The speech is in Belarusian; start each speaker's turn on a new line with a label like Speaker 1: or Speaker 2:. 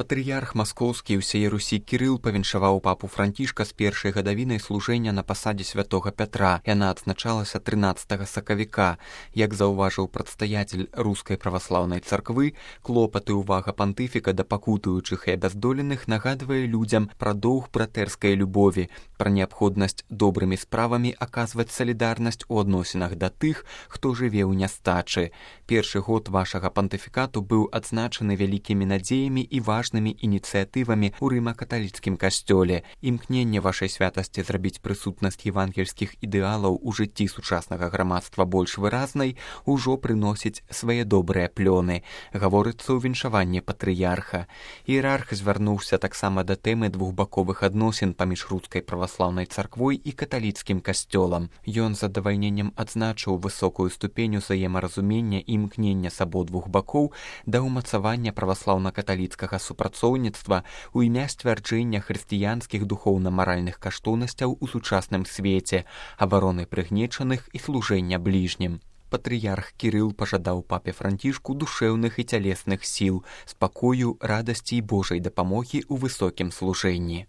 Speaker 1: Патрыярх маскоўскі ўсяе Русі Кірыл павіншаваў папу Францішка з першай гадавінай служэння на пасадзе святога Пятра. Яна адзначалася 13 сакавіка. Як заўважыў прадстаятель рускай праваслаўнай царквы, клопат і ўвага пантыфіка да пакутуючых і абяздоленых нагадвае людзям пра доўг братэрскай любові, пра неабходнасць добрымі справамі аказваць салідарнасць у адносінах да тых, хто жыве ў нястачы. Першы год вашага пантыфікату быў адзначаны вялікімі надзеямі і важнымі ініцыятывамі ў рыма-каталіцкім касцёле. Імкненне вашай святасці зрабіць прысутнасць евангельскіх ідэалаў у жыцці сучаснага грамадства больш выразнай ужо прыносіць свае добрыя плёны, гаворыцца ў віншаванні патрыярха. Іерарх звярнуўся таксама да тэмы двухбаковых адносін паміж рускай праваслаўнай царквой і каталіцкім касцёлам. Ён з задавальненнем адзначыў высокую ступень узаемаразумення і імкнення з абодвух бакоў да ўмацавання праваслаўна-каталіцкага супрацоўніцтва ў імя сцвярджэння хрысціянскіх духоўна-маральных каштоўнасцяў у сучасным свеце, абароны прыгнечаных і служэння бліжнім. Патрыярх Кірыл пажадаў папе Францішку душэўных і цялесных сіл, спакою, радасці і Божай дапамогі ў высокім служэнні.